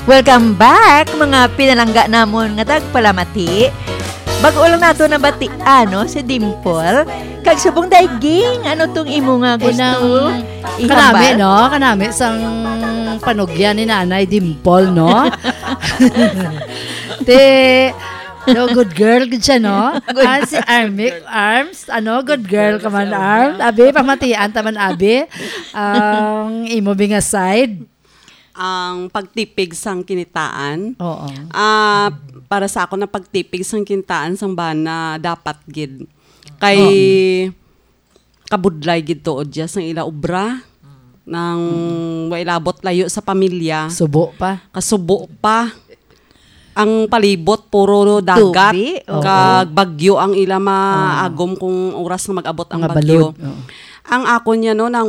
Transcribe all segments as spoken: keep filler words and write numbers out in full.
Welcome back, mga pinalangga namon nga tagpalamati. Bago lang nato nabatian, no, si Dimple. Kag subong daiging, ano tong imo nga gusto Inang ihambal? Kanami, no? Kanami sang panugyan ni Nanay Dimple, no? Te, no, good girl gid siya, no? Good. Ah, si Armic Arms, ano, good girl ka man, Arms. Abi, pamatian ta man, abi. Ang imo bi nga side. Ang pagtipig sang kinitaan. Oo. Ah, para sa ako na pagtipig sang kinitaan sang bana dapat gid. Kay Oo. kabudlay gid tuod dya sang ila obra. Nang Mm. wa ilabot layo sa pamilya. Subo pa. Kasubo pa. Ang palibot puro dagat. Tubi, oo. Kag bagyo ang ila maagom Oo. kung oras nga mag-abot ang Mga bagyo. balod, oo. Ang ako niya, no, nang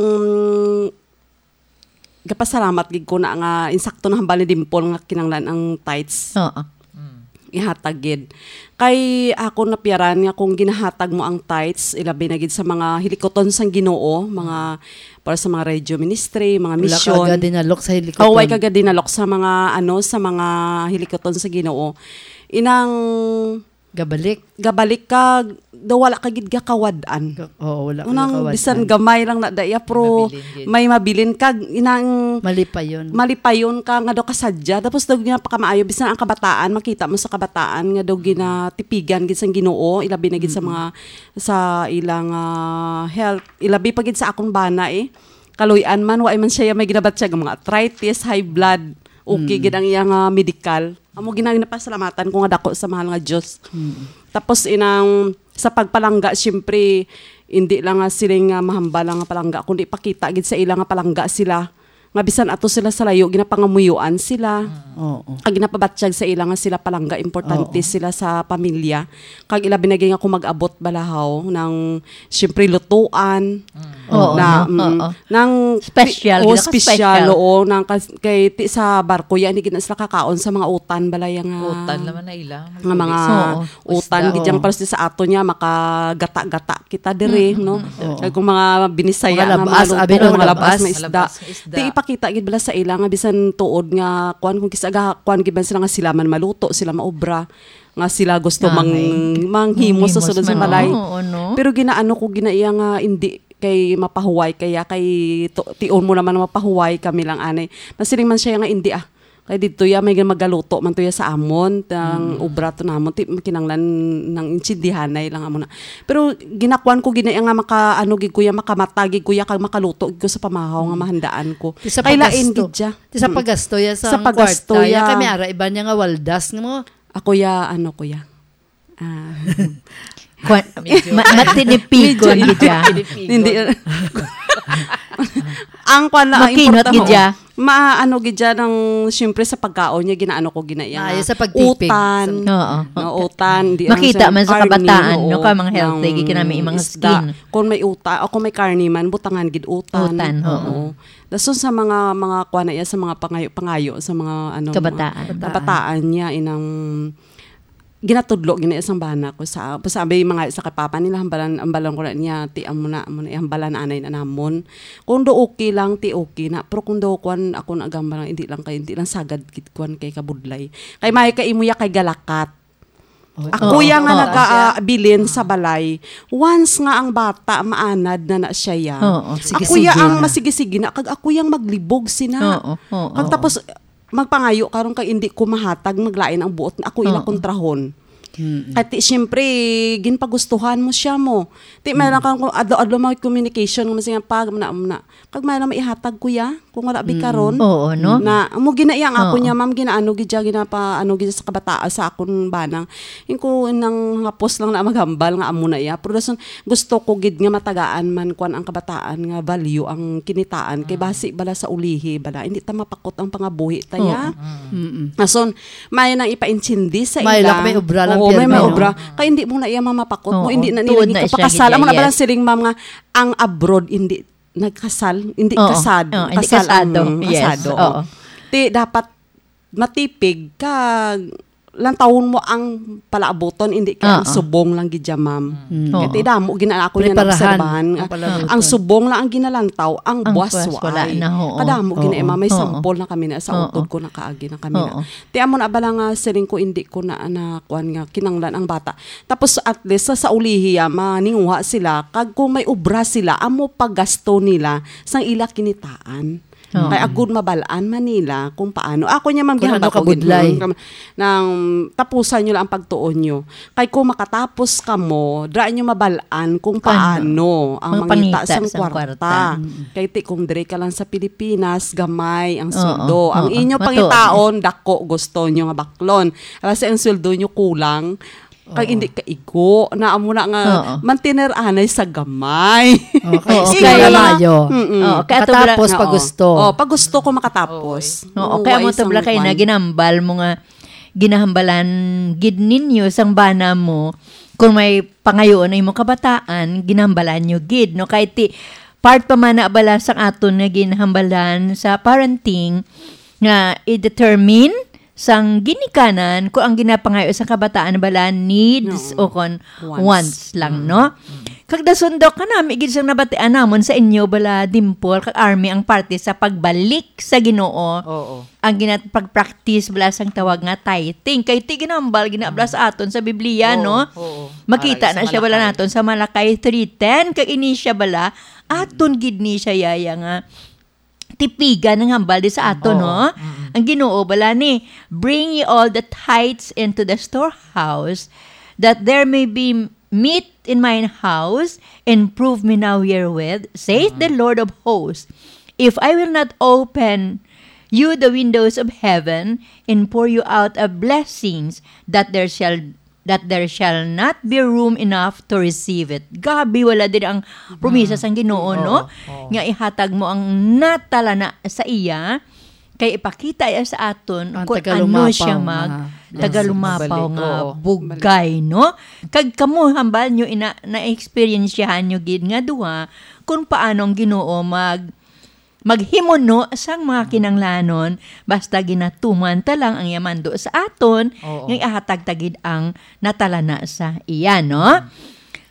gapasalamat gid ko na nga insakto na hambal ni Dimple nga kinanglan ang tithes. Oo. Mm. Ihatag gid. Kay ako napiaran nga kung ginahatag mo ang tithes, ilabi na gid sa mga hilikuton sang Ginoo, mga para sa mga radio ministry, mga Wala ka misyon. agad dinalok sa hilikuton. Oh, way ka agad dinalok sa mga, ano, sa mga hilikuton sa Ginoo. Inang Gabalik. gabalik ka, daw wala ka gid gakawad-an. Ga-, oo, wala ka Unang gakawad-an. bisan gamay lang na daya, pero Mabilin gid. may mabilin ka, inang Malipayon. malipayon ka nga daw kasadya. Tapos daw ginapakamaayo, bisan ang kabataan, makita mo sa kabataan nga daw ginatipigan gid sang Ginoo, ilabi na gid sa Mm-mm. mga, sa ilang, ah, health. Ilabi pa gid sa akong bana, eh. Kaluy-an man, wa man siya may ginabatyag nga mga arthritis, high blood. Okay Mm. gid ang iyang, ah, medical. Amo gina-, ginapasalamatan ko nga dako sa mahal nga Dios. Mm. Tapos inang sa pagpalangga, siyempre, hindi lang nga siling nga mahambal lang nga palangga, kundi pakita gid sa ila nga palangga sila. Nga bisan ato sila sa layo, ginapangamuyoan sila. Oo. Kag ginapabatyag sa ila nga sila palangga, importante Oo. sila sa pamilya. Kag ilabi na gid nga kung mag-abot balahaw ng, siyempre, lutuan. Mm. Oo, Na, no? mm, Oo. nang Special, ti-, oh, gid, special, special. oo, nang kas-, kay ti sa barko yan, hindi na sila kakaon sa mga utan, balay nga Utan naman na ila. nga mga Oo. utan, Isda, gid yang oo. pares sa ato niya, makagata-gata kita diri, Mm, no? mm, mm. Oo. Kay kung mga binisaya Mga nga mga labas, luto, abi na mga mga labas labas. nga isda. Labas nga isda. Ti ipakita gid bala sa ila nga bisan tuod nga kuan, kung kis-, aga, kuan gid man sila nga sila man maluto, sila maobra, nga sila gusto Ay. mang-, manghimo sa Manghimo sulod sa sa balay. Oo, no? Pero ginaano ko gina iya nga hindi kay mapahuway kaya kay to-, tion mo naman na mapahuway kami lang anay. Masiling man siya nga hindi ah. Kay didto ya may magaluto man to ya sa amon, tang Mm. obra to namon, ti kinanglan nang intindihanay lang amo na. Pero ginakuan ko gina iya nga maka, ano gid ko ya, makamata gid ko ya, kag makaluto gid ko sa pamahaw nga Mm. mahandaan ko. Ti sa Kay lain paggasto. gid siya. Ti sa Mm. paggasto ya Sa sa paggasto kwarta, ya ya. kami ara iba niya nga waldas nga mo. Ako ya, ano ko ya. Ah. Kwan-, Medyo ma-, matinipigon Medyo gid ya. matinipigon. Hindi. Ang kwan lang, ang Makinot importante, gid ya. ma-, ano gid ya ng, siyempre sa pagkaon niya, ginaano ko gina iya Ah, nga yung sa pagtipig. utan. Sa Oo. No, utan, di Makita lang sa man sa karne, kabataan, oo, no, ka mga healthy, ng gid kinami yung mga isda. skin. Kung may uta-, o kung may karne man, butangan gid utan. Utan, oo. Oo. Dason sa mga, mga kwan na iya, sa mga pangayo-pangayo, sa mga, ano, Kabataan. mga kabataan niya, inang ginatudlo gina sang bana ko sa, sa abay mga sa kay papa nila, hambalan, hambalan ko na niya, ti amo na, amo na, hambalan anay na namon. Kung do okay lang, ti okay na. Pero kung do kwan, ako na gambalan, hindi lang kay, hindi lang sagad gid kwan kay kabudlay. Kay may kay imo ya kay galakat. Oh, Ako oo, ya nga oo. naga, ah, bilin sa balay, once nga ang bata maanad na na siya ya. Oo, sige, Ako ya sige ang na. masigi-sige na, kag ako yang maglibog sina. Oo, oo, Kag oo. tapos, magpangayo karon kay hindi ko mahatag, maglain ang buot, ako ila Oo. kontrahon. Mm. Kay ti, siyempre, ginpagustuhan mo siya mo. Ti, may Mm. lang kang kung adlaw-adlaw may communication nga masiya pag, muna, muna. Kag may lang maihatag ko ya, kung wala bi Mm. karon. Oo, no? Na, amo gina iya ang ako Oo. niya, ma'am, ginaano gid siya, ginapa, ano gid sa kabataan, sa akon banang. Yung ko nang hapos lang na maghambal nga amo na iya. Pero dason, gusto ko gid nga matagaan man kwan ang kabataan nga value ang kinitaan. Kay Mm. basi bala sa ulihi, bala, hindi ta mapakot ang pangabuhi ta ya. Oo. Mm. Mm-mm. Ason, may nang ipaintindi sa May ila. lang may obra lang, Oo, may, pirmi, may no? obra. Kay hindi mo na iya mamapakot mo, Oo, hindi na nila tuod na siya gipakasal. Amo na gid, ba lang yes. siling ma'am nga ang abroad hindi nagkasal, hindi Oo. kasad, Oo, hindi kasal ang kasado. Yes, kasado. oo. Ti dapat matipig kag lantawon mo ang palaabuton, hindi kay ang Ah, ah. subong lang gid siya, ma'am. Mm. Kay Oo. ti damo gina ako niya Preparahan naobserbahan ang nga palaabuton. ang subong lang ang ginalantaw, ang Ang buwas buwas wala waay. na, oo. Kadamo gina, Oo. ma'am, may Oo. sample na kami na sa Oo. utod ko, nakaagi na kami na. Oo. Ti amo na bala nga siling ko, hindi ko na, na kuwan nga kinanglan ang bata. Tapos at least sa, sa ulihi, ah, maninguha sila, kag kung may obra sila, amo pagasto nila sang ila kinitaan. Oo. Kay agud mabal-an man nila kung paano. Ako niya, ma'am, Kung ano gihambal ko gid, kabudlay. mm, kam-, nang tapusan nyo lang ang pagtuon nyo. Kay kung makatapos kamo, dra nyo mabal-an kung Kung ano. paano ang Mga mangita pangita sang sang kwarta. kwarta. Mm. Kay ti kung dire ka lang sa Pilipinas, gamay ang Oo, sweldo. Ang oo. inyo Matuod. pangitaon, dako, gusto nyo nga baklon. Kasi ang sweldo nyo kulang, kag Oo. hindi kaigo. Na amo na nga, Oo. mantener anay sa gamay. Okay, Oo, eskwela kaya lang. mayo. Mm-mm. Oo, kaya to bala- Katapos, Oo. pag gusto. Oh, pag gusto ko makatapos. Oo, Oo, kaya mo wais to ang bala kayo na kwan. ginambal mo nga, ginahambalan gid ninyo sang bana mo, kung may pangayoon ang imong kabataan, ginambalan nyo gid, no? Kahit ti, part pa man na bala sang aton nga ginhambalan sa parenting, nga i-determine sang ginikanan kung ang ginapangayo sa kabataan bala needs Oo. o kon Wants. wants lang, Mm. no? Mm. Kag dason, Doc, kanami gid sang nabatian namon sa inyo bala, Dimple, kag Army, ang parte sa pagbalik sa Ginoo. Oo. Ang ginat-, pag-practice bala sang tawag nga tithing. Kay ti ginambal, ginabla sa aton sa Biblia, Oo, no? oo. Makita Aral na sa siya bala Malakay. naton sa Malakay three ten. Kag ini siya bala, aton gid ni siya, yaya, nga tipigan ang hambal di sa aton, Oo. no? Mm-mm. Ang Ginoo bala ni, "Bring ye all the tithes into the storehouse, that there may be meat in mine house, and prove me now herewith, saith the Mm. Lord of hosts, if I will not open you the windows of heaven, and pour you out a blessings that there shall that there shall not be room enough to receive it." Grabe, wala din ang promisa Mm. sang Ginoo, Oo, no? oo. Nga ihatag mo ang natalana sa iya, kay ipakita iya sa aton Ang kung ano tagalumapaw siya nga mag, Yes, tagalumapaw mabalik, nga oo. bugay, no? Kag kamo, hambal nyo, ina, na-experiensyahan nyo gid nga duha kung paano ang Ginoo mag maghimuno sang mga kinanglanon, basta ginatuman ta lang ang iya mando sa aton, Oo. nga ihatag ta gid ang natalana sa iya, no?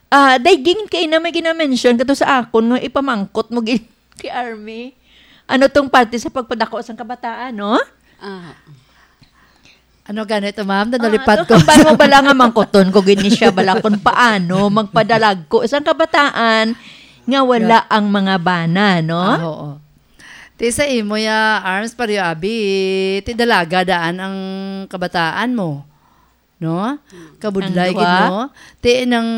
Ah, daygin kay na may ginamention kato sa akon nga ipamangkot mo gid kay Army. Ano tong parte sa pagpadako sang kabataan, no? Ah. Ano ganito, ma'am? Ah, Nanalipad so, ko. Hambal mo bala nga mangkuton ko gid ni siya bala kung paano magpadalagko sang kabataan nga wala Yeah. ang mga bana, no? Ah, oo. Ti sa imo ya, Arms, pareho abi, ti dalaga daan ang kabataan mo. No? Hmm. Kabudlay Ang gid, duha? no? Ti nang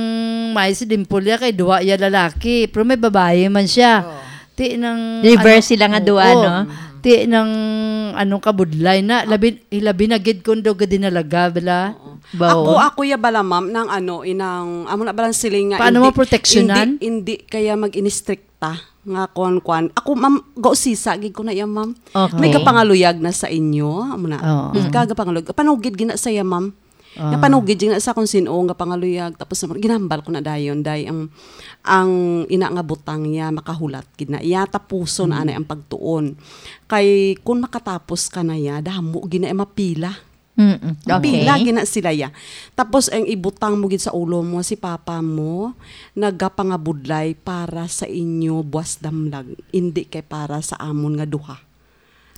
may si Dimple ya kay duha ya lalaki, pero may babayi man siya. Oh. Ti nang Reverse ano, sila nga duha, oo. no? Ti nang anong kabudlay na, labi, labi na gid kung daw gid dinalaga, bala. Oo. Bawo. Ako, ako ya bala, ma'am, nang ano, inang, amo na balang siling nga Paano hindi, mo proteksyonan? hindi, hindi kaya mag-inistrikta nga kuan-kuan. Ako, ma'am, gausisa gid ko na iya, ma'am. Okay. May gapangaluyag na sa inyo, amo na. Oo. Ika gapangaluyag. Panugid gina sa iya, ma'am. Ah. Nga panugid gina sa kung sino nga pangaluyag. Tapos, ginambal ko na dayon, day, ang, ang ina nga butang niya, makahulat gid na iya, tapuson Mm. anay ang pagtuon. Kay, kung makatapos ka na iya, damo gina iya mapila. Mm-mm. Mapila Okay. gina sila iya. Tapos, ang ibutang mo gid sa ulo mo, si papa mo, nagapangabudlay para sa inyo, buwas damlag, hindi kay para sa amon nga duha.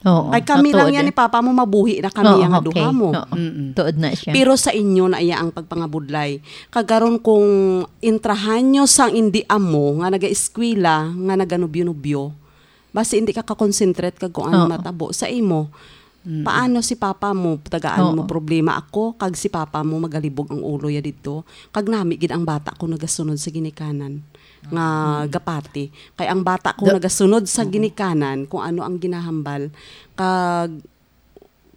Oo, Kay kami lang tuod yan eh. ni papa mo, mabuhi na kami Oo, yan nga okay. duha mo. Oo, Mm-mm. tuod na siya. Pero sa inyo na iya ang pagpangabudlay. Kagaron kung intrahan nyo sang indi amo nga nagaeskwela, nga naganubyo-nubyo, basi hindi ka ka-concentrate kag kung ano Oo. matabo sa imo. Mm-mm. Paano si papa mo? Tagaan mo Oo. problema ako, kag si papa mo magalibog ang ulo ya didto. Kag nami gid ang bata ko nagasunod sa ginikanan nga Mm. gapati. Kay ang bata ko Da- nagasunod sa Oo. ginikanan kung ano ang ginahambal, kag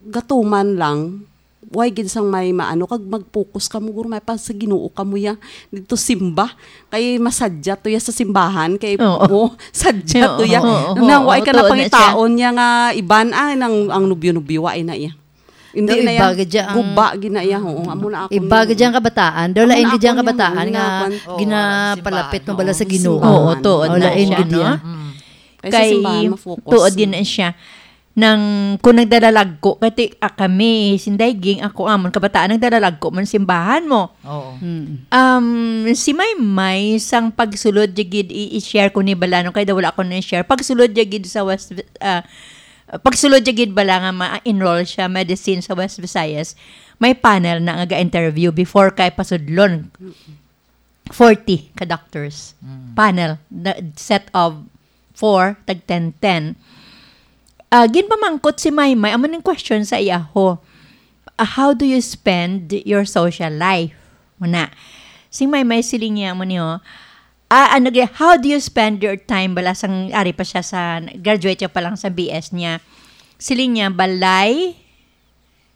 gatuman lang, way gid sang may maano, kag mag-focus kamo, guro, may pa sa Ginoo kamo ya, didto simba. Kay masadya to ya sa simbahan, kay Oo. mo, sadya to Oo, ya. oo, Nang oo, way ka na tuod na siya. pangitaon niya nga iban, ah, nang, ang nubyo-nubyo, way na iya. Hindi Daw na iba yan. gid siya ang Guba gid na iya, oo. Amo na ako Iba na. gid siya ang kabataan. Daw Amo lain na gid siya ang ako niya, kabataan oo, nga nga kwan. Oo, ginapalapit simbahan. mo bala sa Oo, Ginoo. simbahan. Oo, tuod Oo, na lain siya, gid no? iya. Mm. Kay sa Kay simbahan, ma-focus. tuod din na siya. nang kung nagdalalagko, kay ti-, ah, kami, sinday ging, ako amon kabataan, nagdalalagko man simbahan mo. Oo. Mm. Um, si Maymay, sang pagsulod dya gid, i-, i-share ko ni bala, no, kay daw wala ko na share. Pagsulod dya gid sa West, ah, pagsulod dya gid bala nga ma-enroll siya medicine sa West Visayas, may panel na nga ga-interview before kay pasudlon. Forty ka doctors. Mm. Panel, the set of four, tag ten ten. Ah, ginpamangkot si Maymay, amo ning question sa iya ho. Ah, how do you spend your social life? Muna. Si Maymay, siling niya mo niyo, ah, ano gi-, how do you spend your time? Bala sang ari pa siya sa, graduate siya pa lang sa B S niya. Siling niya, balay,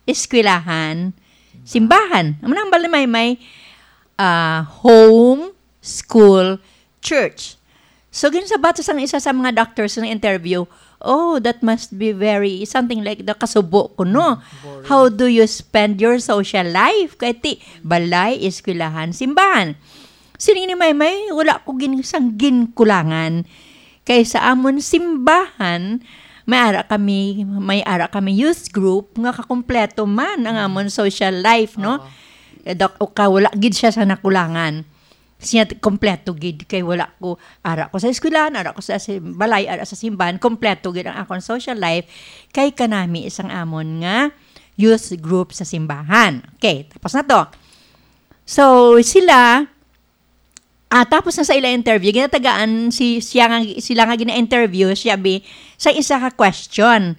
eskwelahan, simbahan. Amo na ang balay, may, may, ah, home, school, church. So, ginsabat sang isa sa mga doctors sa interview, "Oh, that must be very, something like the kasubo ko, no? Boring. How do you spend your social life?" Kay ti, balay, eskwelahan, simbahan. Siling ni Maymay, wala ko gin-, sang ginkulangan. Kay sa amon simbahan, may ara kami, may ara kami youth group nga kakumpleto man ang amon social life, no? Oo. Eh, dok-, o ka, wala gid siya sa nakulangan. Siya t-, kompleto gid kay wala ko, ara ko sa eskwelahan, ara ko sa sim-, balay, ara sa simbahan, kompleto gid ang akon social life kay kanami sang amon nga youth group sa simbahan. Okay, tapos na to. So, sila, ah, tapos na sa ila interview, ginatagaan si, siya nga, sila nga gina-interview, siya bi, sa isa ka question.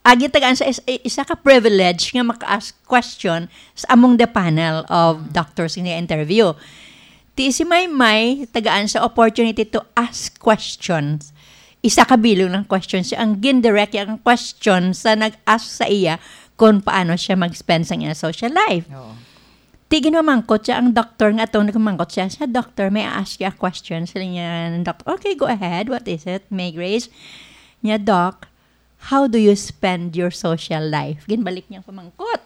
Ah, ginatagaan sa is-, isa ka privilege nga maka-ask question sa among the panel of doctors nga interview. Ti si Maymay, tagaan sa opportunity to ask questions. Isa ka bilog ng questions siya. Ang gindirect niya ang question sa nag-ask sa iya kung paano siya mag-spend sa iya social life. Oo. Ti ginamangkot siya ang doktor nga atong nagmangkot siya. Siya, "Doctor, may I ask you a question?" Sila niya, "Doctor, okay, go ahead. What is it, May Grace?" Niya, "Doc, how do you spend your social life?" Ginbalik niya ang pamangkot.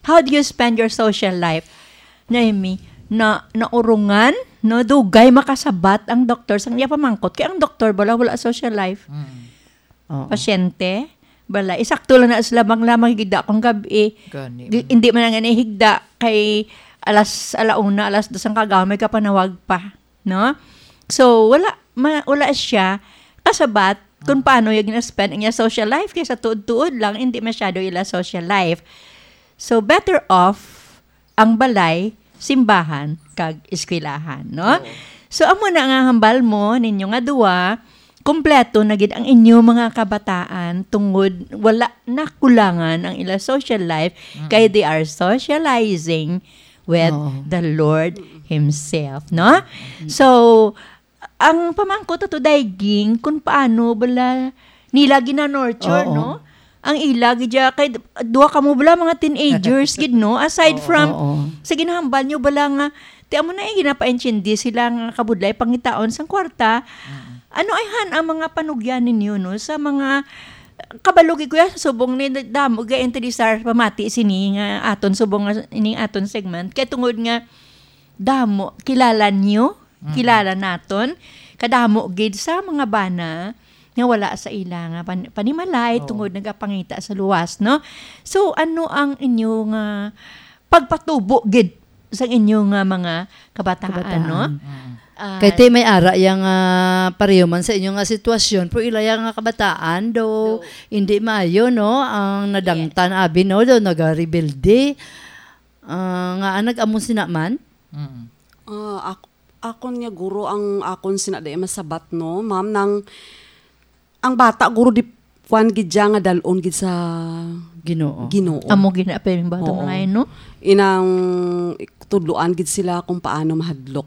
"How do you spend your social life?" Naimi, na, naurungan, no, dugay makasabat ang doktor sang iya pamangkot. Kay ang doktor bala wala social life. Mm. Oo. Pasyente, bala, isakto lang na sila, bang lamang higda akong gabi. Gani, Di, mm. Hindi man nga nahigda kay alas, ala una, alas dos ang kagaw, may kapanawag pa, no? So, wala, ma-, wala siya kasabat kung Mm. paano yung na-spend ang iya social life, kay sa tuod-tuod lang, hindi masyado ila social life. So, better off ang balay, simbahan, kag eskwelahan, no? Oo. So, amo na nga hambal mo ninyo nga duwa, kompleto na gid ang inyo mga kabataan tungod wala na kulangan ang ila social life, Mm-mm. kay they are socializing with Oo. the Lord Himself, no? Mm-mm. So, ang pamangkot ato, Daiging, kung paano bala nila gina-nurture, Oo. no? Ang ila gid ya, kay d-, duha kamo bala mga teenagers gid, no? Aside Oo. from, Oo. sa ginahambal nyo bala nga, ti amo na, eh, ginapaintindi sila nga kabudlay pangitaon sang kwarta. Mm. Ano ay han ang mga panugyan ninyo, no? Sa mga, kabalo gid ko ya, sa subong ni damo ga interesar pamati sini nga aton subong nga, ining aton segment. Kay tungod nga, damo, kilala niyo, Mm. kilala naton, kadamo gid sa mga bana nga wala sa ila nga pan-, panimalay Oo. tungod nagapangita sa luwas, no? So, ano ang inyo nga pagpatubo gid sa inyo nga mga kabataan, Kabataan. no? Mm. Ah, Kay ti may ara yang, ah, pareho man sa inyo nga sitwasyon, pero ila yang nga kabataan do Do. hindi maayo, no? Ang nadangtan, abi, no? Do nagarebelde. Ah, nga, ah, nag-amo sina man? Mm. Ah, ak-, akon nga guro ang akon sina di masabat, no, ma'am, nang ang bata guro di kwan gid siya nga dal-on gid sa Ginoo. Ginoo. Amo gid na pa yung bata Oo. nga, no? Inang tudloan gid sila kung paano mahadlok.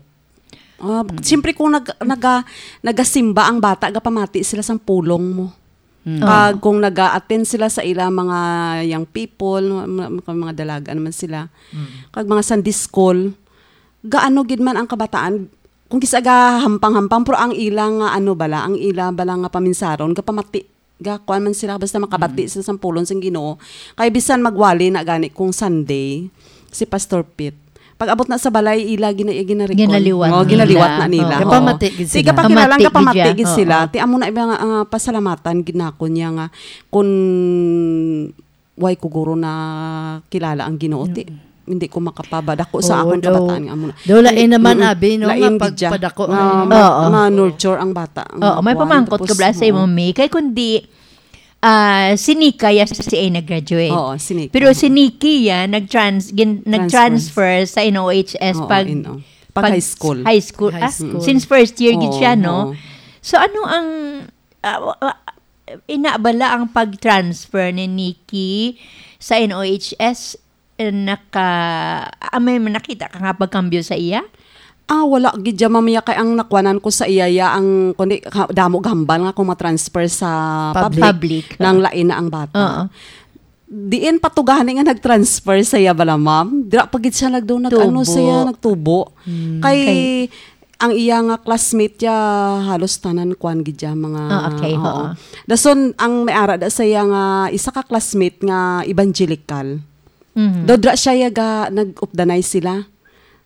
Ah, Mm. siyempre kung nag-, naga-, nagasimba ang bata, gapamati sila sang pulong mo. Mm. Kag Oo. kung naga-attend sila sa ila mga young people, mga, mga dalaga naman sila, Mm. kag mga Sunday school, gaano gid man ang kabataan, kung kisa gahampang-hampang, pero ang ila nga ano bala, ang ila bala nga paminsaron, gapamati, gakuan man sila, basta makabati Mm. sila sang pulong sang Ginoo. Kay bisan magwali na gani kung Sunday, si Pastor Pete, Pag-abot na sa balay, ila gina-, gina-recall. Ginaliwat Oh, ginaliwat nila. na nila. Oo. Oo. Gapamati gid Di sila. gapakilala, Gapamati gid gapamati siya. gid sila. Oo. Ti amo na ba nga, ah, pasalamatan gid nako niya nga kung way ko guro na kilala ang Ginoo, ti Mm. hindi ko makapabadako sa Oo, akon daw. kabataan nga amo na. Daw lain Ti-, naman, mm, abi, no, lain nga gid siya. pagpadako Nga, na nga Oo. ma-nurture ang bata. Oo, Nga may kuwan, pamangkot tapos, ka bala sa oo. imo, Mi? Kay kundi, ah, si Nika ya si A nag-graduate. Oo, si Nika. Pero si Nikki ya nag-trans-, gin-, Transfer. nag-transfer sa N O H S Oo, pag, N O. Pag pag high school. high school. High Ah, school. since first year gid Oo, siya, no? oo. So, ano ang, ah, wa-, wa-, ina bala ang pag-transfer ni Nikki sa N O H S, eh, naka-, ah, may nakita ka nga pagkambyo sa iya? Ah, wala gid dyan, ma'am, ya, kay ang nakuanan ko sa iya, ya, ang, kundi, ka-, damo gambal nga kung ma-transfer sa Public. public, Public. nang lain na ang bata. Oo. Diin pa to gani nga nag-transfer sa iya bala, ma'am? Dira pa gid siya nagdo-, nag-, ano Tubo. siya, nagtubo. Hmm. Kay, Kay ang iya nga classmate ya, halos tanan kuan gid ya, mga, Ah, okay, oo. oo. Dason, ang may ara da sa iya nga isa ka classmate nga evangelical. Mhm. Daw dira siya ya ga, nag-updanay sila.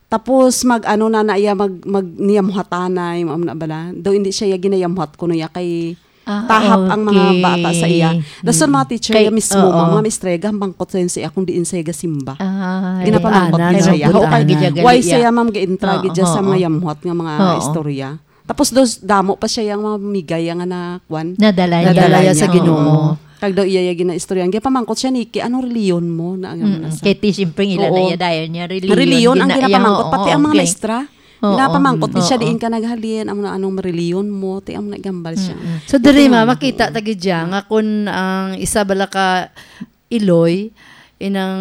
Tapos mag-ano na na iya, mag, mag niya muhatanay, mo na bala. Daw hindi siya ya ginayamuhat kuno ya kay Ah, tahap ang mga okay. bata sa iya. Dason mga Mm. teacher Kay, ya mismo, oo. mga maestra ya, gambangkot sa iya kung diin siya gasimba. Ah, Ginapamangkot Ana, gid siya ya. nagput-, Pamangkot gid siya ana. gali Why ya. siya, ma'am, gaintra Oo, gid siya sa oo. mga yamuhat nga mga Oo. istorya. Tapos dos, damo pa siya yang mga migay ya nga na, kwan? Nadala niya. Nadala Nadala niya sa niya, Ginoo. oo. Kag daw iya ya ginaistorya. Gapamangkot siya, Nikki, anong reliyon mo? Na, Mm, na sa kay ti, siyempre, ila na Oo. iya dayon niya, reliyon, Reliyon ang gina-, ginapamangkot, oo, pati ang mga okay. maestra. Oo. Ginapamangkot, di siya Oo. diin ka naghalin, ang, anong reliyon mo, ti ang nagambal siya. Mm-mm. So, Ito diri, nga, ma, makita oo. ta gid siya nga kun ang isa bala ka iloy, inang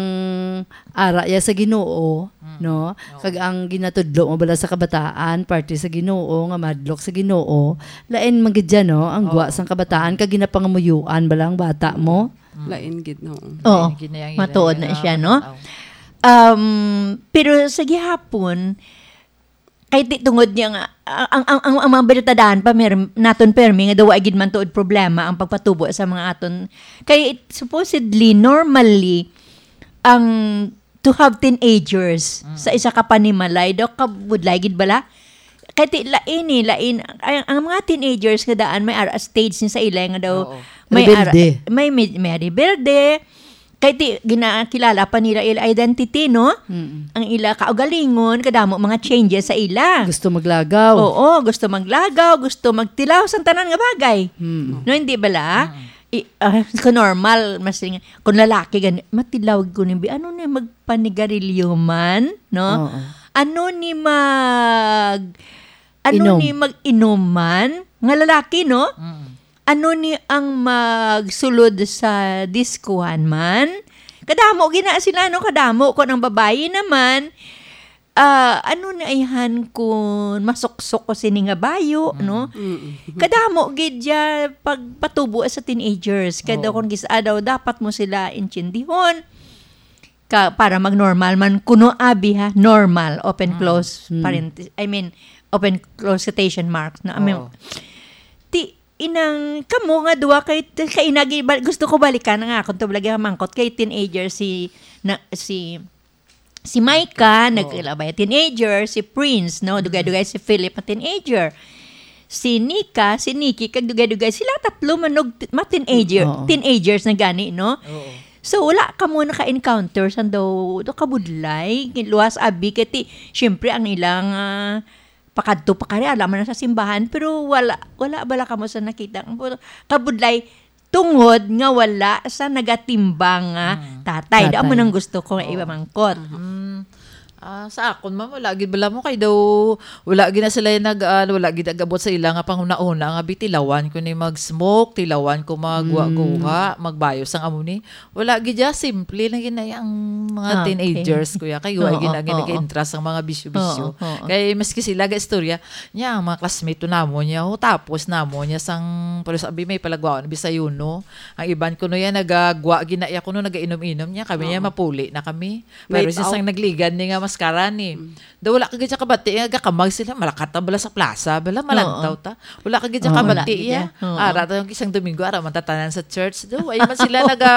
ara ya sa Ginoo, Mm. no? Oo. Kag ang ginatudlo mo bala sa kabataan, parte sa Ginoo, nga madlok sa Ginoo, lain man gid dyan, no? Ang gwa Oo. sang kabataan, kag ginapangamuyuan bala ang bata mo. Mm. Lain gid, no? Oo. Lain gid na yang Matuod ila na nga siya, no? bata. Um, pero sa gihapon, kay ti-, tungod niya nga, ang, ang, ang, ang mga binatadaan pa, mer-, naton permi, nga daw wa gid man tuod problema ang pagpatubo sa mga aton. Kay supposedly, normally, ang to have teenagers Mm. sa isa ka panimalay, daw kabudlay gid bala? Kay ti-, lain eh, lain. Ang, ang mga teenagers nga daan, may ara stage ni sa ila nga daw, Oo. may ara, Rebelde. may, may, may rebelde. Kay ti-, ginakilala pa nila ila identity, no? Mm. Ang ila kaugalingon, kadamo mga changes sa ila. Gusto maglagaw. Oo, gusto maglagaw, gusto magtilaw sa tanan nga bagay. Mm. No, hindi bala? Mm. I-, ah, kung normal, mas ring-, kung lalaki gani, matilaw ko ni bi-, ano ni, magpanigarilyo man, no? Oo. Ano ni mag-, ano Inom. ni mag-inom man? Nga lalaki, no? Mm. Ano ni ang magsulod sa diskuhan man? Kadamo gina sila, no? Kadamo. Kung ang babayi naman, ah, ano na ayhan kun masuksok ko sini nga bayo, Mm. no? Mm. Kadamo gid ya pagpatubo sa teenagers. Kaya daw Oo. kung gis-, ah, daw dapat mo sila intindihon ka, para mag-normal man kuno abi ha, normal, open Mm. close Mm. parent-, I mean, open close quotation marks, no? I mean, Oo. ti, inang kamo nga duha kay, kay inagi, bal-, gusto ko balikan ang akon to lagi mangkot kay teenager si, na, si, si Micah, Oo. nagkilabay teenager, si Prince, no? Mm. Dugay-dugay si Philip, a teenager. Si Nika, si Nikki, kag dugay-dugay. Sila tatlo manog, ma teenager, Oo. teenagers na gani, no? Oo. So, wala ka mo naka-encounter sa daw, daw kabudlay, luwas abi, kay ti, syempre, ang ilang, ah, pakadto pa kari, alam mo na sa simbahan, pero wala, wala bala ka mo sa nakita. Ang kabudlay, tungod nga wala sa nagatimbang nga Mm. tatay. Daw mo Tatay. nang gusto ko nga Oo. iba mangkot. Mhm. Mm. Ah, sa akon, ma'am, wala gid bala mo kay daw, wala gid na sila yung nag, ah, wala gid nag-abot sa ila nga panghuna-huna nga bitilawan ko ni mag-smoke, tilawan ko magguha-guha, Mm. magbayo sang amo ni. Wala gid ya, simple lang gid na ang mga Ah, okay. teenagers, kuya. Kay wa Oo, gid na gid oo. nag-interest ang mga bisyo-bisyo. Oo, oo. Kay maski sila ga istorya, niya, ang mga classmate to namo niya, oh, tapos namo niya sang, pero sabi may palagwaon, Bisayuno. Ang iban ko no yan, nagagwa, ginaya ko no, nagainom-inom niya. Kami niya, Oo. mapuli na kami. Pero Late siya out. sang nagligan ni nga mas Karani. Mm. Daw wala ka gid siya kabati, nga gakamag sila, malakat ta bala sa plaza, bala, malantaw Oo. ta. Wala ka gid siya Oo, kabati, wala gid iya. Iya. Oo. Ara ta yung isang Domingo, ara man tatanan sa church, daw. Ay man sila naga,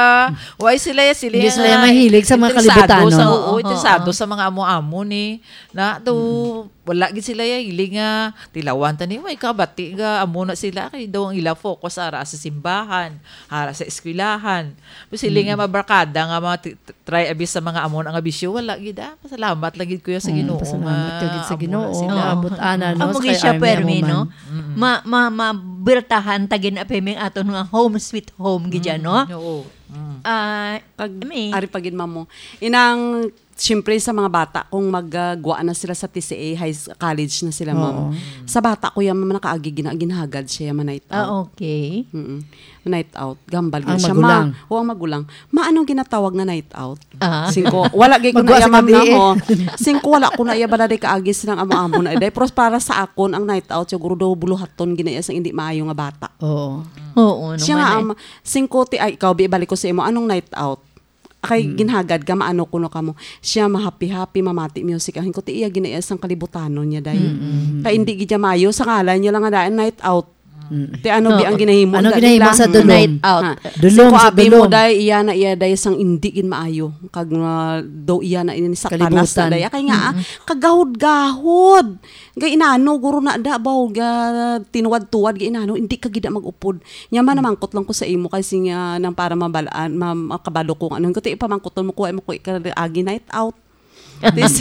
why sila ya, sila Hindi ya sila ya mahilig sa mga interesado kalibutan, sa, no? Oo, Oo. interesado sa mga amo-amo ni, na, daw, Mm. wala gid sila ya, hilig nga, tilawan ta ni, why kabati, ga, amo na sila, kay daw ang ila focus, ara sa simbahan, ara sa eskwelahan. Tapos sila nga Mm. mabarkada nga mga ti-, try abi sa mga amo na nga bisyo, wala gid, ah. Pasalamat lang gid, kuya, sa Mm, Ginoo pasalamat nga ka gid sa amo na Ginoo. sila. Naabot ana, no, Amo sa gid kay siya, Army permi, amo no? man. Mm. Ma-, ma-, mabirtahan ta gid na permi ang aton nga home sweet home gid yan, Mm, no? oo. Mm. Ah, Pag, Army. ari pa gid, ma'am, mo. Inang, siyempre, sa mga bata, kung mag, ah, gwa na sila sa T C A, high s-, college na sila, ma'am. Oo. Sa bata ko yan, ma'am, nakaagi gina-, ginhagad siya, ma-night Ah, out. okay. Mm-mm. Night out, gambal Ang gid siya. Ma, magulang. o, ang magulang. Ma, anong ginatawag nga night out? Ah. Singko, wala gid ko Magwa na iya, sa ma'am, gabi, na eh. mo. Singko, wala ko na iya bala day kaagi silang amo-amo na day. Pero para sa akon, ang night out, siguro daw buluhaton gina iya sang hindi maayo nga bata. Oo. Oo, Siya naman nga, eh. am, singko, ti, ay, ikaw, bi, balik ko sa imo, anong night out? Kay Mm. ginhagad ka, maano kuno ka mo. Siya mahappy-happy, mamati music. Ang ko, ti, iya gina iya sang kalibutanon niya, day. Mm, mm, Kay mm. hindi gid niya maayo, sa ngalan niya lang nga daan, night out. Mm. Ti ano bi Oo. ang ginahimo Ano na ginahimo nila? sa Mm. dulom? Night out. Ha. Dulom Singko sa abi mo, dulom. day, iya na iya, day, sang indi gid maayo. Kag, ah, daw iya na ini satanas na, Kalibutan. day. Kay nga, ah, Mm-mm. kagahod-gahod. Ga inano, guro na da, baw, ga tinuwad-tuwad, ga inano, hindi ka gid na mag-upod. Nya man, Mm. namangkot lang ko sa imo, kay sing, ah, nang para mabalaan, ma-, makabalo ko nga, ano, ko, ti, ipamangkot mo ko, ay mo ko, ikaagi night out. Tis-,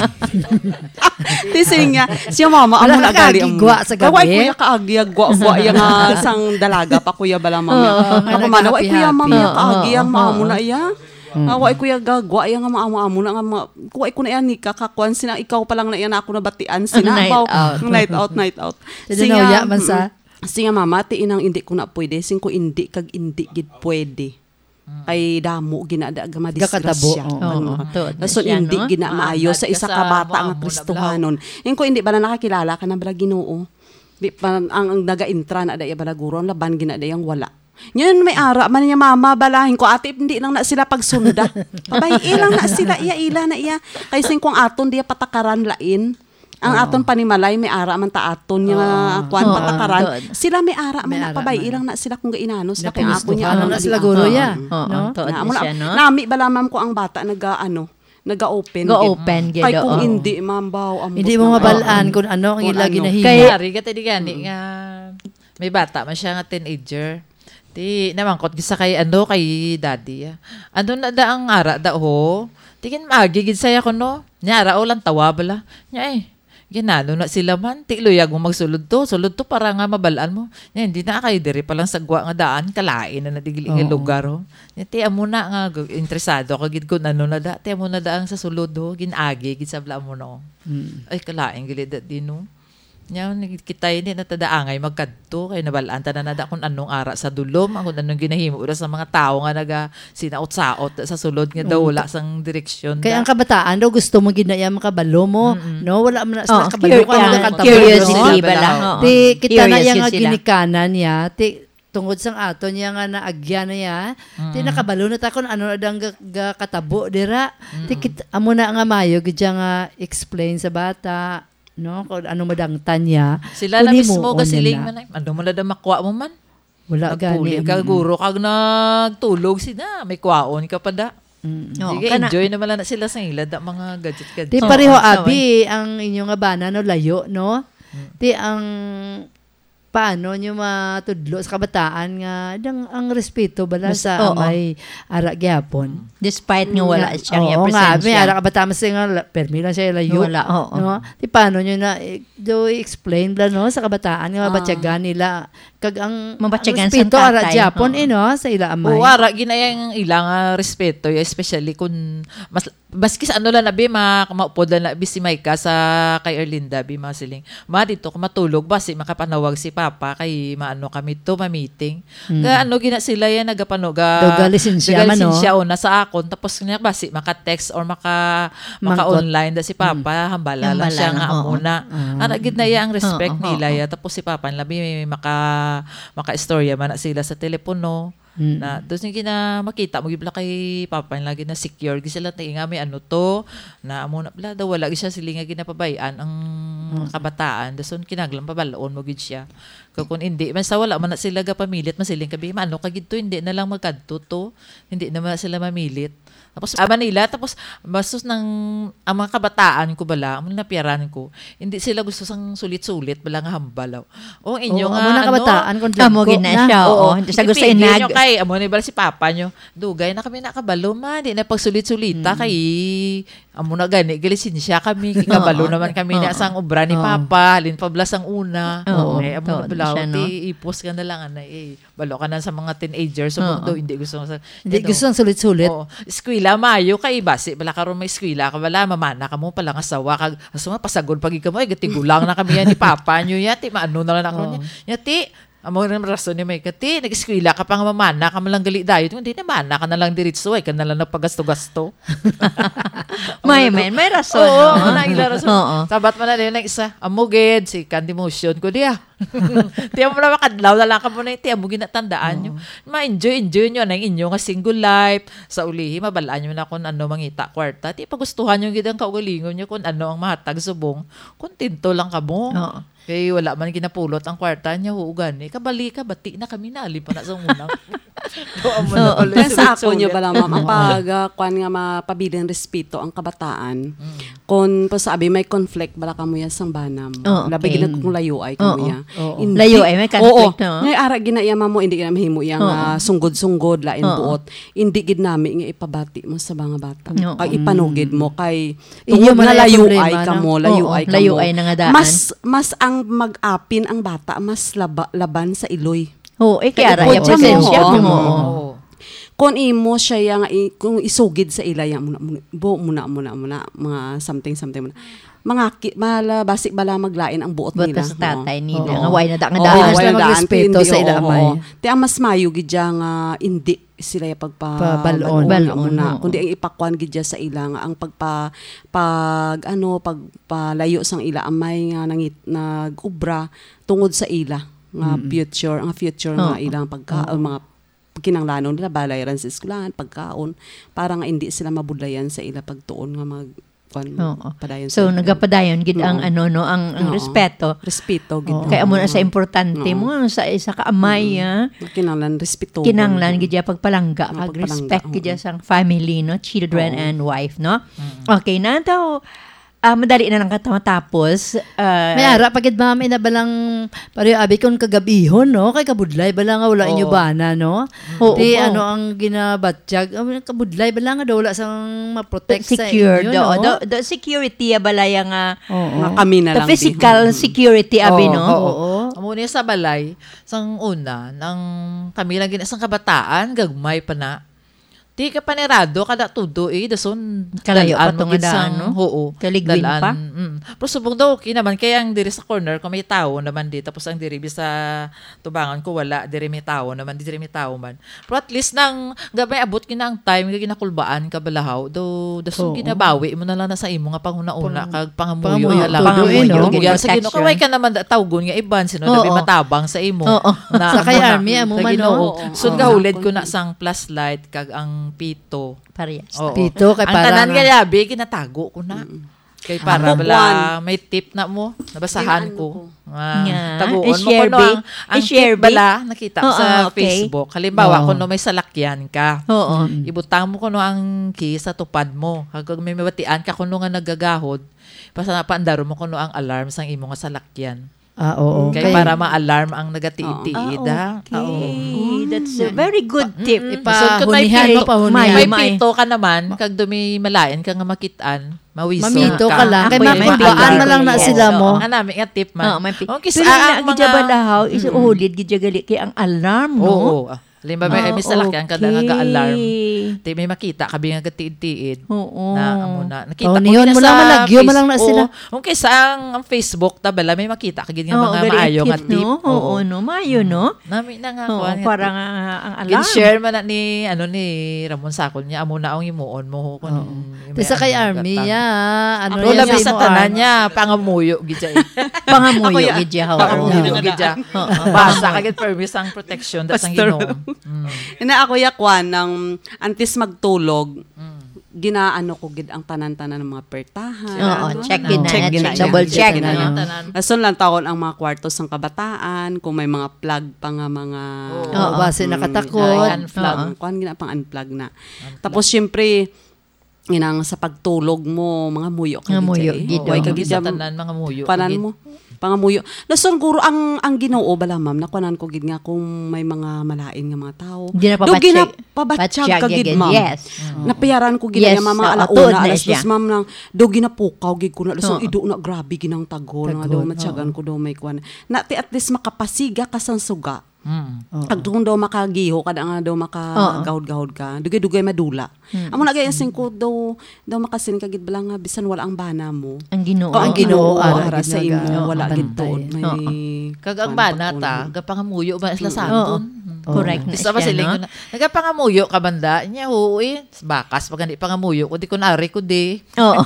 tising niya, siya mama, amo Wala na ka gali ang gigwa sa Ay, wa gabi? kuya kaagi, gwa, gwa, iya nga sang dalaga pa, kuya, bala, mama. Oo, nga Ako, mana, wa kuya, naghahappy-happy. mama, Oo, kaagi, ang oo, mama oo. na iya. Mm. Ah, wa kuya, gagwa, iya nga mama, amo na nga, ma-, wa ko na iya, nika, kakuan, sina, ikaw pa lang na iya na ako nabatian, sina, Night baw, out. night out, night out. Sa Siya, Danaw, ya, man sa? mm, siya, mama, ti inang hindi ko na pwede, sing ko hindi, kag hindi gid pwede. Mm. Kay damo gina da, ga madisgrasya. Gakatabo, oo. Ang Oo, mga tuod na Dason siya, hindi no? gina maayo Maanad sa ka isa sa ka bata nga mga amo na Kristohanon. Yung ko hindi bala nakakilala ka na bala Ginoo. Di pa, ang, ang naga-intra na da iya bala guro, ang laban gina da yang wala. Ngayon may ara man niya mama balahin ko, ate, hindi lang na sila pagsunda. Pabay-i lang na sila, iya, ila na iya. Kay sing kung aton diya patakaran lain, Ang Oo. aton panimalay, may ara man ta aton nga Oo. kuwan, Oo, patakaran. Tuod. Sila may ara man May na, ara pabay-i man. lang na sila kung gainano sila, kay ako niya Napinustuhan ang na sila, agi-, guro, oo. ya, Oo, no? tuod Na, na amo na, siya, no? nami bala, ma'am, ko ang bata naga, ano, naga-open gid. Ga-open gid, Kay kung oo. hindi, ma'am, baw, ambot Hindi mo na, mabalaan oo. kung ano ang Kung ila ano. ginahimo. Kay Yari ka, tadi gani Mm. nga may bata man siya nga teenager. Ti, namangkot gid sa kay, ano, kay daddy, ah. Ano na da ang ara da, ho? Ti gin maagi gid saya ko, no? Nya ara, o lang tawa bala. Nya, eh, ginano na sila man. Ti, luyag mo magsulod to. Sulod to para nga mabalaan mo. Nya, hindi na kay diri pa lang sa gwa nga daan. Kalain na na digli nga Oo. lugar, ho. Nya, ti, amo na nga, gu-, interesado ka gid kung ano na da. Ti, amo na da ang sa sulod, ho. Gin-agi gid sa bala mo, no? Mm. Ay, kalain gili da di, no? Nya, nag-, kita ini na tadaangay magkadto, kay nabalaan ta na nada kung anong ara sa dulom, ang kung anong ginahimo ra sa mga tawo nga naga-, sinaot-saot sa sulod nga daw Mm. wala sang direksyon Kay da. ang kabataan daw gusto mo gid na iya makabalo mo, Mm-mm. no? Wala man na sila Oh, kabalo cur-, kung ano yeah, nakatabo, curiosity no? bala, oo. Ti, kita na Curious iya yun nga sila. ginikanan niya, ti, tungod sang aton niya nga naagyan na iya, ti, Mm. nakabalo na ta kung ano na dang ga-, ga-, katabo dira. Ti, Mm. kit-, amo na nga mayo gid siya nga explain sa bata, no? Kung ano madangtan niya, Sila kung na mismo himuon niya gasiling na. man, ay, ano mo na da makuha mo man? Wala gani, Nagpuli ka, mm. guro, kag nagtulog sila, may kwaon ka pa da. Mm. Oo, Sige, kana- enjoy naman lang na sila sa ila da, mga gadget-gadget. Di Oo, pareho, sa abi, ang inyo nga bana, no, layo, no? Mm. Ti ang paano nyo matudlo sa kabataan nga dang ang respeto bala Mas-, sa oo. may ara gyapon? Despite nga wala Nga, siyang oo, nga, may represensya. ara kabataan, mas nga la-, permi lang siya layo, Wala, oo. no? Di paano nyo na, eh, do explain bala, no, sa kabataan nga Ah. mabatyagan nila kag ang, ang Mabatyagan sa respeto ara tatay, gyapon, oo. eh, no, sa ila amay. Oo, ara ginayang ilang, ah, respeto, especially kung mas Maski sa ano lang na, bi, ma-, maupod lang na, bi, si Micah sa kay Erlinda, bi, mga siling, "Ma, dito ko matulog, basi makapanawag si Papa, kay maano kami to, ma-meeting." Mm. Ga, ano, gina sila yan, nagapano-, ga-, Daw ga lisensya man, no? ga-lisensya, o, na sa akon, tapos niya, basi maka-text or maka-, Mangkot. maka-online da si Papa, Mm. hambala lang siya Hambala nga lang, amo oo. na. Ah. Ara gid na iya ang respect Oo, nila, oo. ya. Tapos si Papa nila, bi, maka-, maka-istorya man na sila sa telepono. Mm. Na, tapos yung gina-, makita mo, gid bala kay Papa, lagi na secure, gid sila, "Ti nga may ano to," na amo na bala, daw wala gid siya sila nga ginapabay-an ang Mm. kabataan. Tapos, kinahanglan pabal-on mo gid siya. Kag kung hindi, man sa wala man na sila gapamilit, masiling ka, "Bi, maano ka gid to, hindi na lang magkadto to." Hindi naman sila mamilit. Tapos, ah, Manila, tapos, bastos ng, ang mga kabataan ko bala, ang napiyaran ko, hindi sila gusto sang sulit-sulit bala nga hambal, oh. Oh, inyo Oo, nga, amo na ano? Kabataan, kung Amo dyan ko gina na. Siya, Oo. oo. Hindi siya gusto Ipigil inag- nyo kay, amo ni bala si Papa nyo, "Dugay na kami nakabalo, ma, di na pagsulit-sulita, Mm. kay, amo na gani, galisensya kami, kikabalo Oo. naman kami na Oo. sang obra ni Oo. Papa, halin pa bala sang una." Oo, Ay, amo to, na bala, siya, no? Ti, ipos ka na lang, anay, eh. Balo ka na sa mga teenagers, so, Oo. do, hindi gusto sa, Hindi ano, gusto ang sulit-sulit. Oo. Eskwela, maayo kay basi bala karon may eskwela ka bala, mamana ka mo pala nga sawa, kag, asa man, pasagol pa gid ka mo, "Ay, gatigulang na kami yan ni Papa nyo, ya, ti, maano na lang ako Oo. niya." Ya, ti, amo rin rason ni Mike, "Ti, nag-eskwela ka pa nga mamana ka man lang gali dayon, hindi, namana ka na lang diritso, ay ka na lang nagpagasto-gasto." May, Amo na may, may rason, Oo, no? wala ila rason. Oo. Sabat man na din ang isa, amo gid, si Candy Motion ko diya. Tiyan mo na makadlaw na lang ka mo na, tiyan mo ginatandaan nyo. Oo. Ma-enjoy, enjoy nyo ang inyo nga single life. Sa ulihi, mabalaan nyo na kung ano mangita kwarta. Ti pagustuhan nyo gid ang kaugalingon nyo kung ano ang mahatag subong. Kontento lang ka mo. Oo. Kay wala man ginapulot ang kwarta niya, oo gani. Kabali ka, bati na kami, nali pa na sa una. Doon mo na Oo. pala Kaya sa ako nyo sulit-sulit. bala, ma'am, ang Oo. pag, ah, kwan nga mapabiling respeto ang kabataan. Mm. Kung pasabi may conflict bala kamo yan sang bana mo. Oh, Labi okay. gid kung layo ay kamo Oo, ya. oo. Hindi. Layo ay may conflict, Oo. no? Ngay ara gina iya mamo, hindi gina mahimo iya nga Oo. sunggod-sunggod, lain Oo. buot. Hindi gid nami nga ipabati mo sa mga bata. Oo. Kag ipanugid mo kay Inyo tungod man nga ang layo problema, ay no? kamo, layo Oo, ay layo kamo. ay na nga daan. Mas, mas ang mag-apin ang bata, mas laba-, laban sa iloy. Oo, eh, Kay kaya ra, ipod iya siya mo, presensya oo. mo, oo. Oo. Kung imo siya yang i-, kung isugid sa ila yang muna, muna, bo, muna, muna, muna, mga something, something muna. Mga ki-, mala, basi bala maglain ang buot Buot nila, sa tatay no? nila, Oo. nga way na da nga Oo, daan. Hindi na way sila na daan, magrespeto hindi, sa ila oo, amay. oo. Ti ang mas mayo gid dya nga hindi sila ya pagpa-, Pabal-on. bal-on, Bal-on, muna. oo. Kundi ang ipakwan gid dya sa ila nga ang pagpa-, pag, ano, pagpalayo sang ila amay nga nangit-, nag-ubra tungod sa ila nga Mm. future, ang future nga Oo. ilang pagka-, Oo. mga kinanglanon nila, balayran sa eskwelahan, pagkaon, para nga indi sila mabudlayan sa ila pagtuon nga mag-, kwan, Oo. padayon So, sa ila. nagapadayon gid ang Oo. ano, no, ang, ang Oo. respeto. Respeto gid. Oo. Kaya amo na sa Oo. importante Oo. mo, sa isa ka amay, Mm. ah. Kinahanglan respeto. Kinahanglan gid ya pagpalangga, Nga pag pagpalangga, respect gid ya oo. sang family, no, children Oo. and wife, no? Mm. Okay, na daw, ah, madali na lang ka matapos. Ah, May ara pa gid, ma'am, ina balang pareho abi kon kagabihon, no? Kay kabudlay bala nga wala inyo Oo. bana, no? Oo. Di, Oo. ano ang ginabatyag? Ang kabudlay bala nga daw wala sang ma-protect sa Secure, inyo, do, no? do, do, security ya bala ya nga Oo. Nga kami na Sa lang physical din. security, abi, Oo, no? oo. Oo. Amo niya sa balay, sang una, nang kami lang gina-, sang kabataan, gagmay pa na. Di ka panirado, kada tudo, eh, dason, Kalayo dalan pa mo to nga gid daan, sang, no? oo, Kaligwin dalan, pa? mm. Pero subong daw, okay naman, kaya ang diri sa corner ko may tao naman di, tapos ang diri bi sa tubangan ko, wala, diri may tao naman, diri may tao man. Pero at least nang, gamay abot gina ang time, nga ginakulbaan ka balahaw, do, dason Oo. ginabawi mo na lang na sa imo nga panghuna-una, Pang-, kag pangamuyo pangamuyo, na lang. tudo, eh, no? Pangamuyo, Gid gid sa Ginoo, protection. kaway ka naman da-, tawgon nga iban, sino na Oo. bi matabang sa imo? Oo. Na Sa kay amo na, Army, amo sa man, Ginoo. no? Oo. Sun Oo. gahulid ko na sang flashlight, kag ang pito. Parehas. Oo. Pito, kay Ang para tanan nga nga yabi, ginatago ko na. Mm. Kay para Ako, bala, kwan. may tip na mo, nabasahan Yung ano ko. ko. Nga, Nga, taguon mo i-share, kuno ang, bi. ang I-share, tip bi. bala, nakita ko Oo, sa okay. Facebook. Halimbawa, Oo. kuno may salakyan ka. Oo. Mm. Ibutang mo kuno ang key sa tupad mo. Kag may mabatian ka kuno nga nagagahod, basta napaandaro mo kuno ang alarm sang imo nga salakyan. Ah, oo. Kay Okay. para ma-alarm ang nagatiid-tiid, Oo. ha? Ah, okay. Oo. That's a Mm. very good tip. Mm-mm. Ipa-, So, kung may hunihan mo, pito, pahunihan. may Mayo, mayo. pito ka naman, kag dumi malain ka nga makit-an, mawiso Mamito ka. ka lang. Kay Ako yung makumbaan makumbaan na lang na ko. sila Oo, mo. nga nami nga tip man. Oo, may pi-, Oh, kis-, pero ah, na ang gid mga balahaw, is Mm. uhulid gid gali kay ang alarm, no? Oo, ah. Halimbawa, may, Ah, may salakyan ka na okay. nag-a-alarm. Di may makita ka, bi nga gatiid-tiid. Oo. Na, amo na. Nakita ko Paunihon yun mo sa lang, malagyo mo lang na Face-, sila. oo. Kung kaysa ang, ang Facebook, ta bala, may makita ka gid nga Oo, mga very maayo nga active, tip. no? Oo, Oo. no? Maayo, Mm. no? Nami na nga, Oo, kuwan nga para tip. nga, ah, ang alarm. Gin-share man na ni, ano, ni Ramon Sakol niya, amo na ang himuon mo, ho, kung Oo. yung Tapos sa may kay ano, Army, gatang. ya, ano Pero yan labi sa sa imo, tanan Army? niya, pangamuyo, gid siya, eh. Pangamuyo, Ako, ya. gid siya, ho. Pangamuyo, Oo. gid siya. Oo. Basa ka, gid, permi sang protection, that's ang Pastor. Ginoo. Mm. Ina ako ya kwan, nang antes magtulog, Mm. ginaano ko gid ang tanan-tanan ng mga pertahan. Oo, ano, check ano, gid na check yan, gid na check yan, gid na yan. Double check na yan. Lason lang tawon ang mga kwarto sang kabataan, kung may mga plug pa nga mga Oo. Oo, basi mm, nakatakot. Ay, unplug. Oo. Kuan gid na pang unplug na. Unplug. Tapos, syempre, inang sa pagtulog mo, mga muyo ka Nga gid muyo siya, eh. gid, Way Oo, ka gid sa jam-, tanan, mga muyo ka panan gid. mo, pangamuyo. Lason guro ang, ang Ginoo bala, ma'am, nakuanan ko gid nga kung may mga malain nga mga tao. Di na Do pabatsyag. ginapabatsyag Batsyag ka gid, gid, ma'am. yes. Mm. Napiyaran ko gid Yes, nga mga oo, alauna, tuod na alas siya. dos, ma'am, nang do ginapukaw gid ko na, lason Oo. ido na grabe ginang tagol, nga do Tagol, matyagan oo. ko do may kuan. Na, ti at least makapasiga ka sang suga. Mm. Oo. Kag doon daw makagiho ka, da nga daw Oo. makagahod-gahod ka. Dugay-dugay madula. Mm. Amo na gaya sing ko daw, daw makasin ka gid bala nga bisan wala ang bana mo. Ang Ginoo. O ang Ang Ginoo, Ginoo, ara ara gid sa nga imo, ga-, wala ang gid bantay. tuod may Oo. Kag ang kuwan, bana ta, pagtuon. gapangamuyo ba sila sa Mm. aton? Oo. Mm. Correct na Gusto ba siya, siling no? ko na, "Nagapangamuyo ka banda?" Niya, "Oo eh. Bakas pa gani pangamuyo ko, di ko nari ko di." Oo.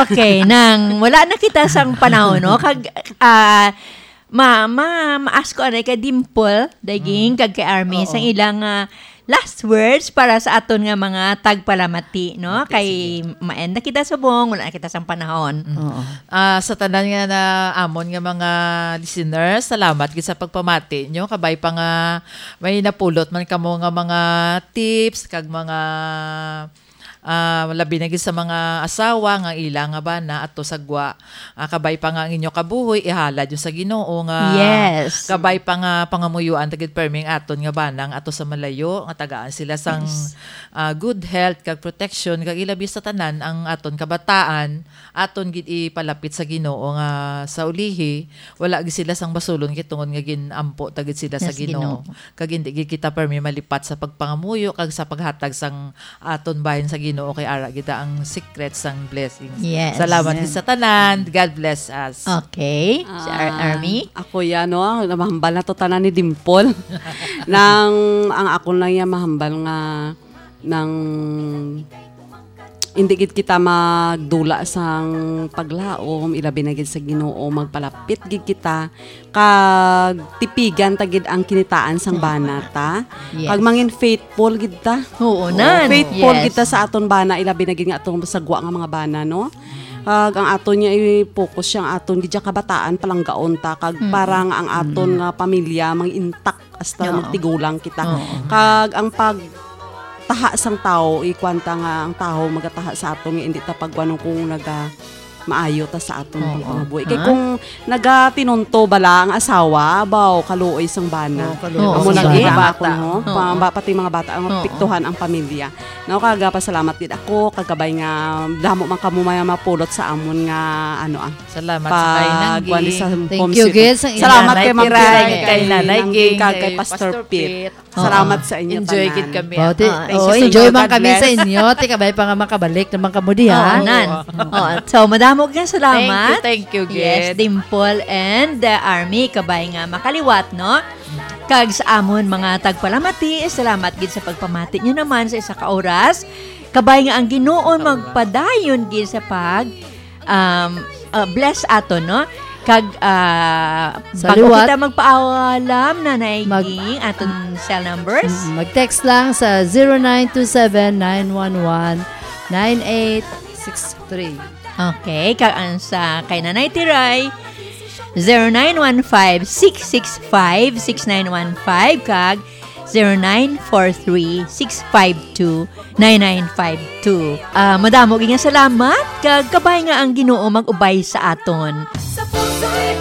Okay, nang wala na kita sang panahon, no? Kag, ah, ma-, ma-, ma-ask ko anay kay Dimple, Daiging, Mm. kag kay Army, Oo. sang ilang, ah, last words para sa aton nga mga tagpalamati, no? Okay, Kay sige. ma-end na kita subong, wala na kita sang panahon. Mm. Oo. Ah, sa tanan nga na amon nga mga listeners, salamat gid sa pagpamati nyo. Kabay pa nga may napulot man kamo nga mga tips, kag mga, ah, labi na gid sa mga asawa nga ila nga bana ato sa gwa. Ah, kabay pa nga ang inyo kabuhi, ihalad nyo sa Ginoo nga Yes. kabay pa nga pangamuyuan ta gid permi ang aton nga bana nga ato sa malayo, nga tagaan sila sang, Yes. ah, good health kag protection, kag ilabi sa tanan ang aton kabataan, aton gid ipalapit sa Ginoo nga sa ulihi, wala gid sila sang basulon kay tungod nga gin-ampo ta gid sila sa Yes, Ginoo. Ginoo. Kag hindi gid kita permi malipat sa pagpangamuyo kag sa paghatag sang aton bahin sa Ginoo, kay ara gid ang secret sang blessings. Yes. Salamat Amen. gid sa tanan. God bless us. Okay. Si Ar-, Ah, Army? ako yan, no? Namahambal na to tanan ni Dimple. Nang, ang ako lang yan mahambal nga nang hindi gid kita magdula sang paglaom, ilabi na gid sa Ginoo, magpalapit gid kita, kag tipigan ta gid ang kinitaan sang Hmm. bana ta, Yes. kag mangin faithful gid ta. Oo, Oo, nan. faithful Yes. gid ta sa aton bana, ilabi na gid nga aton sa gwa nga mga bana, no? Kag ang aton nga i-focus siya, ang aton gid siya kabataan, palanggaon ta, kag Mm. para nga ang aton Mm. nga pamilya mang intact hasta Oo. magtigulang kita. Oo. Kag ang pagtaha sang tawo, ikuan ta nga ang tawo magataha sa aton nga hindi ta pagkuanon kung naga maayo ta sa aton Oo. pagpangabuhi. Kay Ha? kung nagatinunto bala ang asawa, baw, kaluoy sang bana. Oo, kaluoy Amo sang lagi bana. Ang ako, no? Oo. Pa-, ba-, pati mga bata, ang Oo. apektuhan ang pamilya. Nao, kagapasalamat gid ako, kagabay nga damo man kamo may mapulot sa amon nga, ano, ah, Salamat sa kay pag-, Nangging. kuwan sa Thank home you, sweet. guys, sa inyo. Salamat Nanay kay Ma'am Kiray, Kiray, kay Nanay kay Ging, kay Kay Pastor Pastor Pit. Pit. Salamat Oo. sa inyo Enjoy tanan. gid kami, Oh, ti-, ah. Thank oh, you sa enjoy inyo. man God kami sa bless. inyo. Ti kabay pa nga makabalik naman kamo diha. Oo, nan. Oo. Oo, so, madamo nga salamat. Thank you, thank you, Yes, gid. Dimple and, uh, Army, kabay nga makaliwat, no? Kag sa amon mga tagpalamati, salamat gid sa pagpamati nyo naman sa isa ka oras. Kabay nga ang Ginoo Sa oras. magpadayon gid sa pag, um, uh, bless aton, no? Kag, uh, Sa bago liwat. kita magpaalam, Nanay Mag- Ging, aton cell numbers. Mm, mag-text lang sa zero nine two seven nine one one nine eight six three. Okay, kag ang sa kay Nanay Tiray, zero nine one five six six five six nine one five kag zero nine four three six five two nine nine five two. Ah, madamo gid nga salamat, kag kabay nga ang Ginoo mag-ubay sa aton. Sa puso'y